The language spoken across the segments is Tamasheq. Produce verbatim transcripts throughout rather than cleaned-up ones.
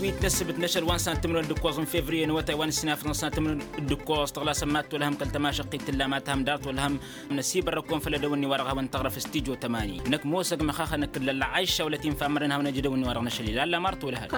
Wi t-năssǝbǝt n-ašăl wa n-săn tǝmrǝwăn d-ǝkkoẓ n-fevriye n-awătay wa n-ǝssinafăḍ n-săn tǝmrǝwăn d-ǝkkoẓ tăɣlasăn ma t-olăhăm kăl-tămašăqqit tǝlla ma tǝhăm dar t-olăhăm. Năsibărrăkon făll-edăwănni wa dăɣ-hawăn tăɣrăf s-tijo tămani năkk mosăg măxaxăn ǝkkǝd lălla. Ašša wălăt-in fammărăn hawăn-ăj edăwănni wa dăɣ-năšăl ila ălla mar t-olăhăm.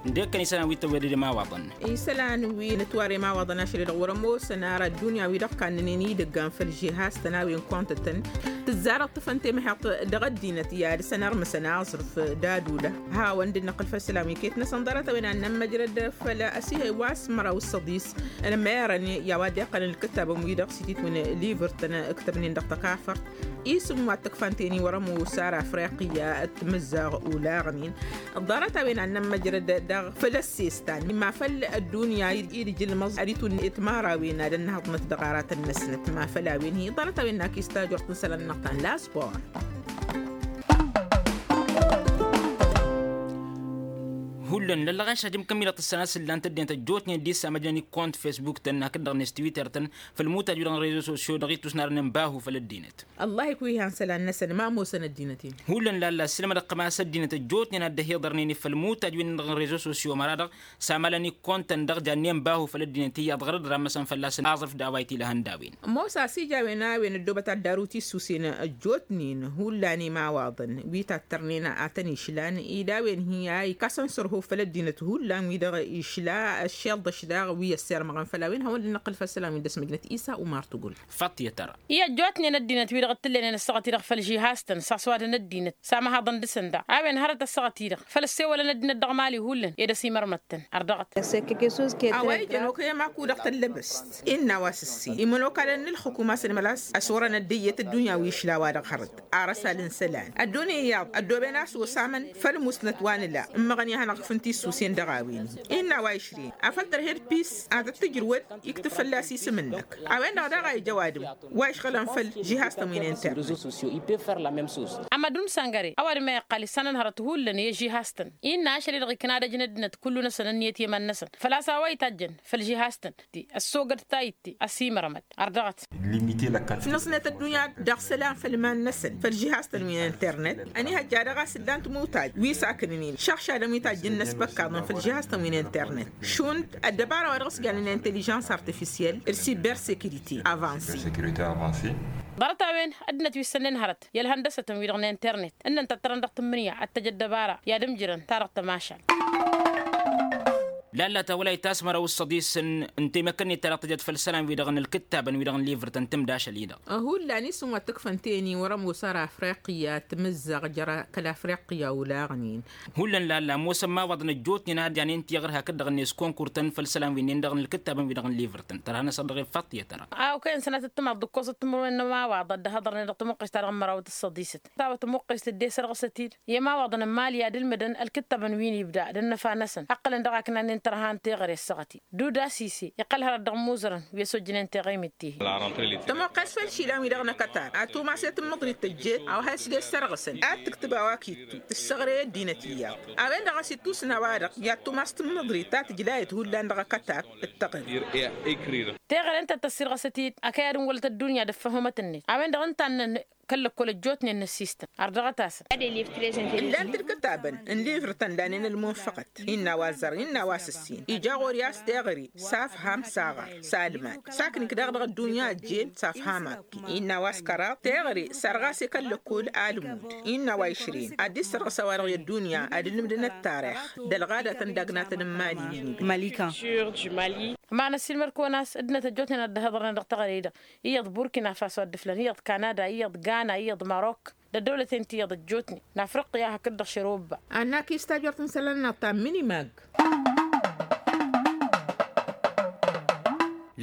Ǝndek-kăn isălan wi t-ăwwed d-imawaḍăn. Isălan wi n-ătwar imawaḍăn ašăl-i-dăɣ wăr-ămoosăn ara ăddunya-wi-dăɣ kannănen idăggan făll-žihaz-tăn a-wen kont-tăn. Tǝzzarăɣ tǝfăn temheḍt dăɣ-ăddinăt i-ad-săn ărmǝsăn aẓrǝf d-ad-ulăh. Hawăn-dd-năqqǝl făll-isălan wi iket-năsăn ḍarăt-a-wen ad-nămmăjrăd făll-asihăy wa s-măraw s-săḍis. Ălmerăn i-a-wa dd-iqqălăn ǝlkǝttabăn-wi-dăɣ s-ititwǝn livǝr-tăn ǝktăbnen dăɣ-tăkafărt. Isǝm wa t-ǝkfan teni wăr-ămoos ara afriqya d-timǝzzaɣ olaɣnen. Ḍarăt-a-wen ad-nămmăjrăd daɣ făll-ăssestan ma făll-ăddunya i-dd-ijǝlmăẓ ad-itwǝnnet timărawen ad-ănnăhăḍnăt dăɣ-aratăn-năsnăt ma făll-a-wen hi-ḍarăt-a-wen n-ak istajort n-isălan-năɣ ta n-la sport. Hullan lăllăɣaš ad-imkămmilăt ǝssan a-s ǝllan-t ăddinăt ăjjootnen d-issamăjnen i-kont fesbuk-tăn hakd-dăɣ n-istwitter-tăn făll-imutaj-wi-dăɣ n-rezo sosyo dăɣ-ittus n-arnen bahu făll-ăddinăt. Ăllah ikwi'-han isălan-năsăn ma ămoosăn ăddinăt-in. Hullan lalla ăssiilmădăɣ-tăm a-s ăddinăt ăjjootnen a dd-ăhiḍărnen i-făll-imutaj-wi-dăɣ n-rezo sosyo măra-dăɣ s-amalăn ikkontăn dăɣ-jannen bahu făll-ăddinăt iyyăḍ ɣărăd ramăsăn fălla-săn aẓrǝf d-a-wa itilăhăn d-a-wen. Ămoos a-s ija a-wen a-wen ăddoobăt ad-daru tissusen ăjjootnen hullan imawaḍăn wi tattărnen a tăn-išlan ed a-wen hi-a ikasăn sărho făll-ăddinăt hullan wi-dăɣ išla ăššelḍăš daɣ wi ăssirmăɣăn făll-a-wen hawăn-dd-năqqǝl făll-isălan wi dd-ăsmăjnăt isa umar tugul. Făṭṭiyăt ara. I-ăjjootnen ăddinăt wi-dăɣ t-tǝllăynen ăssaɣăt-i-dăɣ făll-žihaz-tăn s-aswadăn ăddinăt s-amăhaḍăn dăɣ-săn daɣ a-wen hărăt ăssaɣăt-i-dăɣ făll-ăssewălăn ăddinăt dăɣ-mali hullan ed ăsimărmăt-tăn ărdăɣăt. A-wa ijăn okăy ămaku dăɣ-tăllăbăst innă a-wa s-ǝssin imănokalăn n-ǝlxǝkum a-s ănmăl a-s ăsurăn ăddăyyăt ăddunya wi išla a-wa dăɣ-hărăt. Ar ăsal n-isălan ăddunya iyyăḍ ăddooben a-s osamăn făll-musnăt wa nǝla ǝmmăɣăn i-ad-hanăɣ-ǝkfǝn tissusen dăɣ-a-wen-hi innă a-wa išrin afăl tărhed pis ad-tăt-tǝjrǝwăd iktǝb fălla-s isǝm-năk. A-wen-dăɣ daɣ a ija ăwadǝm wa išɣǝlăn făll-žihaz-tăn wi n-internet. Amădun săngăre ăwadǝm a iqqal issanăn hărăt hullan i-žihaz-tăn innă ašăl-i-dăɣ ikna ad-ăj n-ăddinăt kullu-năsăn ǝnniyăt i-iman-năsăn făl-a-s a-wa itajjăn făll-žihaz-tăn. Ti ăssogăd tayǝtte ăsimărămăt ărdăɣăt. Năsnăt ăddunya dăɣ-isălan făll-iman-năsăn făll-žihaz-tăn wi n-internet. Ănihăjja dăɣ-a-s ǝllan timutaj wi s-akǝnǝnen šăɣšadăn wi tajjǝn n-ăsbăkkaḍăn făll-žihaz-tăn wi n-internet šund ăddăbara wa dăɣ-s jannen inteližans artifisyel d-sibersekirite avanse. Ḍarăt-a-wen ăddinăt wi ǝssănnen hărăt i-ălhăndăsătăn-wi-dăɣ n-internet ǝnnăn tăttărăn dăɣ-tǝmmǝnǝya ad-t-tăj ăddăbara i-ad-ǝmjǝrăn ta dăɣ-tămašal. Lalla ta wăla itasmăra usăḍisăn n-temăkănnet ta dăɣ-tăjăt făll-isălan wi-dăɣ n-ǝlkǝttabăn wi-dăɣ n-livǝrtăn tǝmd ašăl-i-dăɣ. Hullan isǝm wa t-ǝkfăn teni wăr-ămoos ara afriqya tǝmǝzzaɣ jăr kăl-afriqya olaɣnen. Hullan lalla ămoosăn imawaḍăn ăjjootnen a dd-janen tiɣăr hakd-dăɣ-net konkurtăn făll-isălan wi-nen-dăɣ n-ǝlkǝttabăn wi-dăɣ n-livǝrtăn tărha-năsăn dăɣ-e faṭṭiyăt ăra. A okăyăn sănatăt tǝmaḍ d-ǝkkoẓăt timǝrwen n-imawaḍăn dd-hăḍărnen dăɣ-tamăqqest-ta-dăɣ n-mărawăt ǝssăḍisăt. Tawăt tamăqqest dd-e-sărɣǝsăt-dd i-imawaḍăn n-imali ad-ǝlmǝdăn ălkǝttabăn wi n-ibda d-ănnăfa-năsăn ǝqqǝlăn dăɣ-akna-nen tărha n-teɣăre ăssaɣăt-i. Duda sise iqqăl hărăt dăɣ-imuzărăn wi ăsojjănen teɣăy mǝtte. Tămoqqes făll-išilan-wi-dăɣ n-akătar ad-tumas i-tǝmmǝḍrit tăjjeet a-wa has-dd-e-ssărɣǝsăn ad-tǝktǝb a-wa kittu tǝssăɣre i-ăddinăt iyyăḍ. A-wen-dăɣ a-s ittusna a-wa-dăɣ i-ad-tumas tǝmmǝḍrit ta tǝjlayăt hullan dăɣ-akătar d-taɣăre. Teɣăre ǝnta tăssirɣăsăt-dd akăyad n-wălăt ăddunya d-ăffăhumăt-net a-wen-dăɣ ǝnta a ǝnnăn kăl-lăkkol ăjjootnen n-ăssistăn ardăɣăt-asăn. Ǝllan-t ǝlkǝtabăn n-livr tăn-danen ălmunfăɣăt innă a-wa ăzzărăn innă a-wa s-ǝssin ija ɣur-i a-s teɣăre s-afham s-aɣar s-almad s-aknik daɣ dăɣ-ăddunya ăjjeen s-afham akki innă a-wa s-kăraḍ teɣăre sărɣas i-kăl-lăkkol almud. Innă a-wa išrin ad-dd-issărɣǝs a-wa-dăɣ i-ăddunya ad-ǝlmǝdăn ăttarix d-ălɣadatăn d-agnatăn n-imali. Wi n-ibda. Mălika. Ămanăssin mărkăwăn a-s ăddinăt ăjjootnen ad-dd-ăhhăḍărnen dăɣ-teɣăre-dăɣ iyyăḍ burkina faso ad-dd-ǝflăn iyyăḍ kanada iyyăḍ gana iyyăḍ marok d-ăddăwlăten ti iyyăḍ ăjjootnen n-afriqya hakd-dăɣ šăr obba. Ad-nak-istajăr tǝnsălăn-năɣ ta n-minimag.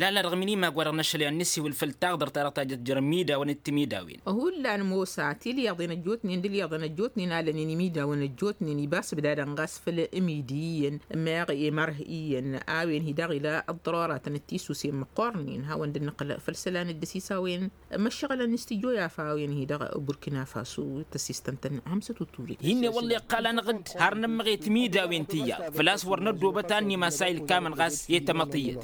Lalla dăɣ-minimag wa dăɣ-năšăl i-ad-nǝsiwǝl făll-taɣdărt ta dăɣ-tajăt jer-imidawăn d-timidawin. Hullan mosa tilyaḍen ăjjootnen d-ilyaḍen ăjjootnen alănen imidawăn ăjjootnen ibas bǝdadăn ɣas făll-imidi iyyăn meɣ i-mărh iyyăn a-wen hi-dăɣ ila ăḍḍăroratăn d-tisusen măqqornen hawăn-dd-năqqǝl făll-isălan d-dăsisawen. Măššăɣǝlăn s-tijjo i-afawăn-hi-dăɣ burkina faso tăsistăn-tăn hămsăt uturet. Hinne wălla iqqal-anăɣ-dd har nǝmmăɣ i-timidawen tiyyăḍ făl-a-s wăr năddoobăt a ănnimasay ǝlkamăn ɣas i-tamăḍt iyyăt.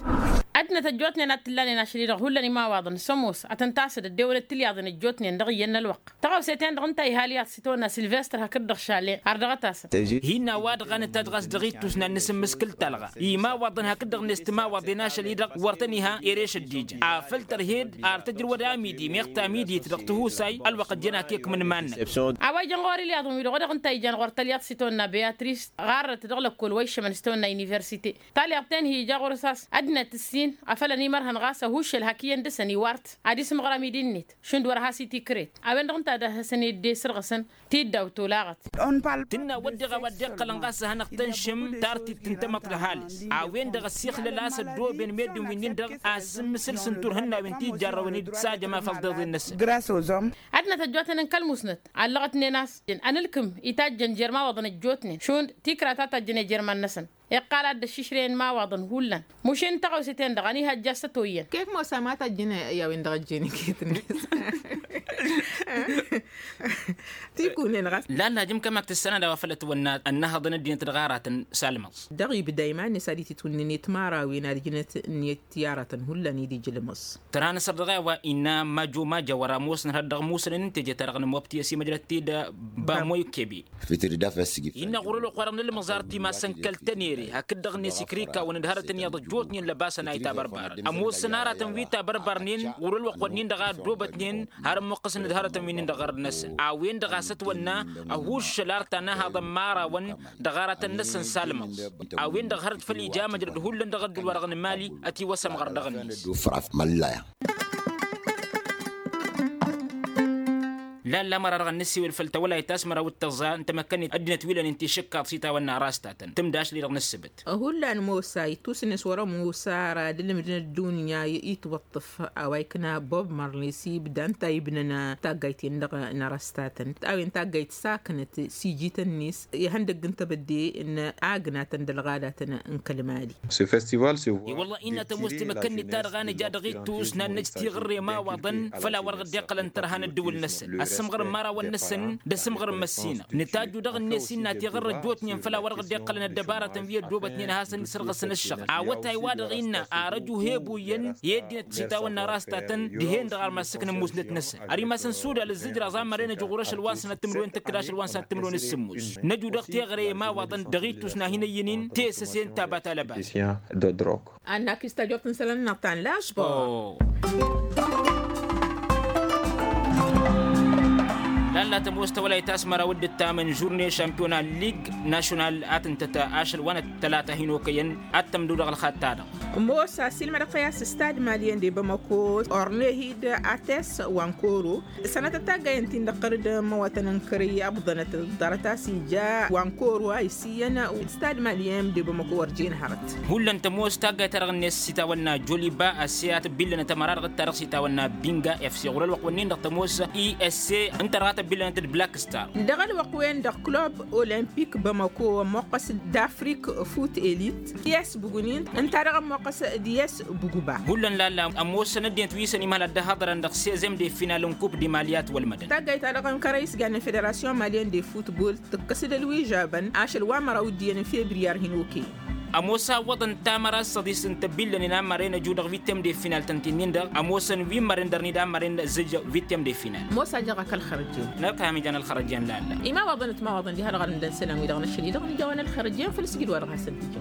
Ăddinăt ăjjootnen a t-ǝllanen ašăl-i-dăɣ hullan imawaḍăn s-ămoos ad-tăn-tasǝd ăddewălăt tilyaḍen ăjjootnen dăɣ-iyyăn n-ălwăqq. Tăɣawse-ten-dăɣ ǝnta a iha ălyaḍ s-itawănna silvestăr hakd-dăɣ šalen har dăɣ-tasăn. Hinna wa-dăɣ a nǝtajj ɣas dăɣ-ittus n-ad-nǝsǝmmǝskǝl talɣa imawaḍăn hakd-dăɣ-net timawaḍen ašăl-i-dăɣ wăr tăn-iha ereš ăddijăn afăl tărhed ar tǝjrǝwăd amidi meɣ tamidit dăɣ-tihusay ălwăqq ăjjăn akekmǝn iman-năk. A-wa ijăn ɣur-ilyaḍăn-wi-dăɣ wa dăɣ-ǝnta a ijăn ɣur-tălyaḍt s-itawănna beyatrist ɣarrăt dăɣ-lăkkol wa iššămăn s-itawănna universite. Talyaḍt-en hi-ija ɣur-s a-s ăddinăt ǝssin afăl ănimărhăn ɣas ăhuššăl hak iyyăn dăr-săn iwar-t ad-isǝmɣăr amidi-net šund wăr-has-itikret. A-wen-dăɣ ǝnta a dăr-hasăn-dd-esǝrɣǝsăn tiddaw tolaɣăt. Tinnă a wădden a-wa dd-iqqălăn ɣas ad-hanăɣ-tănšǝm tartit n-tamăḍt d-ăhalǝs. A-wen-dăɣ ăssixlăl a-s ăddooben meddǝn wi-nin-dăɣ a ǝssǝmmǝsǝl s-ǝnturhǝnnawen ti jarrăwăn-dd s-ajăm afăl ḍeḍen-năsăn. Ad-năt ăjjootnen n-kăl-musnăt allăɣătnen a-s ănǝlkǝm itajjăn jer-imawaḍăn ăjjootnen šund tikra ta tajjăn i-jer-iman-năsăn. Iqqal ad-dd-ăššišrăyăn imawaḍăn hullan. Mušin tăɣawse-ten-dăɣ ăniha ăjja s-ătoyyăn. Kek mosa ma tajjăn i-a-wen-dăɣ ăjjeen iket-net. Tikunen ɣas. Lalla jăm kămak tǝssanad a-wa făll-ătwănna ănnăhăḍăn ăddinăt dăɣ-aratăn s-almăẓ. Dăɣ-ibda iman-net ad-ititwǝnnǝnet mărawen ad-ǝjnăt-net i-aratăn hullan i-dd-ijlǝmăẓ. Tăra n-asăr dăɣ-e-wa innă majo majo wăr-ămoosnăt har dăɣ-musănăn n-teje-ta-dăɣ n-mobti ăsimăjrăt-dd. Bamoy kebe. Innă ɣur-ălwăqq-wa-dăɣ n-ǝlmăẓar timasăn kăl-tănere hakd-dăɣ-net ikrikawăn d-hărătăn iyyăḍ ăjjootnen lăbasăn a itabărbarăn ămoosăn aratăn wi tabărbarnen ɣur-ălwăqq-wănnin-dăɣ a ăddoobătnen har ămmuqqăsăn d-hărătăn wi-nin-dăɣ ɣărăt-năsăn. A-wen-dăɣ a-s ătwănna ăhuššăl ar ta n-ahaḍăn mărawăn dăɣ-aratăn-năsăn s-almăẓ. A-wen-dăɣ hărăt făll-ija măjrăd hullan dăɣ-ăddul-wa-dăɣ n-mali ătiwăsămɣăr dăɣ-net. Lalla măra-dăɣ ad-nǝssewăl făll-tawălayt ta s-măraw d-tăẓẓa n-tamăkkănnit ăddinăt wi lănen tišǝkkaḍ s-itawănna ras ta tăn-tǝmdašli dăɣ-nǝssǝbǝt. Hullan mosa ittusǝnnes wăr-ămoos ara d-ǝlmǝdăn ăddunya itwăṭṭǝf a-wa ikna bob marley s-ibda ǝnta a ibnăn taggayt-en-dăɣ n-arăstatăn a-wen taggayt saknăt s-ijităn-net ihăndăgg n-tebădde n-agnatăn d-ălɣadatăn n-kăl-mali. I-wălla innă tămoos timăkkănnit-ta-dăɣ a nǝja dăɣ-ittus n-ad-năj tiɣǝrre imawaḍăn făll-a-wa-dăɣ dd-iqqălăn tărha n-ăddǝwǝl-năsăn ăssǝmɣăr n-imărawăn-năsăn d-asǝmɣăr n-măssinăɣ. Nǝtajju dăɣ-net innă tiɣǝrrăt jutnen făll-a-wa-dăɣ dd-iqqălăn ăddăbarătăn wi ăddoobătnen ad-hasăn-dd-sărɣǝsăn ǝššăɣǝl awătay-wa-dăɣ innă arăju he-ăbuyăn i-ăddinăt s-itawănna ras ta tăn-dihen-dăɣ armas s-ǝknǝn musnăt-năsăn. Ărimasăn sudal ǝzzǝjraẓ a mărăy năju ɣur-ašăl wa n-sănat timǝrwen tǝkkǝd ašăl wa n-sănat timǝrwen s-sǝmmos. Năju dăɣ-teɣăre i-imawaḍăn dăɣ-ittus n-ad-hin-ăyyǝn-in tesăse n-taba ta lăbas. Annak istajort n-isălan-năɣ ta n-laẓbor. Lalla tămoos tawălayt a-s măraw dd-ǝttamăn žurne šampiyona lig našonal a tǝntăt ašăl wa n-ăttălata hin-okăyăn ad-tămdăw dăɣ-ălxaḍ-ta-dăɣ. Ămoos a-s ilmădăɣ-tăy a-s stad malyen de bamako ornehid ates wankoro. Sănătăt taggayăn-tin-dăɣ tărǝd măwătăn n-kărăy ăbḍănăt ḍarăt a-s ija wankoro a isiyyăn stad malyen de bamako wăr jen hărăt. Hullan tămoos taggayt-ta-dăɣ-net s-itawănna joliba ăssiyat billănăt ămăra dăɣ-ta-dăɣ s-itawănna binga fc ɣur-ălwăqq-wǝnnin-dăɣ tămoos i s c ǝnta dăɣ-a tăbbillănăt d-black star. Dăɣ-ălwăqq-wen-dăɣ club olămpik bamako ămmoqqăs d-afrik fut elit i s bugnin ǝnta dăɣ-ămmoqqăs d-i s buguba. Hullan lalla ămoosăn ăddinăt wi s-ănimhăl ad-dd-ăhaḍărăn dăɣ-sezem de final n-kup d-imalyat wălmădăn. Taggayt-ta-dăɣ n-kărăy s-jannen federasyon malyen de futbol tǝkkăs-dd ălwižabăn ašăl wa măraw d-iyyăn n-febriyar hin-okăyăn. Ămoos a ǝwwăḍăn tamăra s-săḍis n-tăbbillănen a mărren ăju dăɣ-vittem de final tăn-t-in-dăɣ ămoosăn wi n-mărren dăr-nid a mărren ăzzǝj vittem de final. Ămoos a jăɣ-ak ălxărăjen. Nălkăhăm ijan ălxărăjen lalla. Imawaḍăn d-timawaḍăn diha-dăɣ ad-ǝmdăn isălan-wi-dăɣ n-ašăl-i-dăɣ n-ija wa n-ălxărăjen făll-sǝjǝd wa dăɣ-hasăn-t-ija.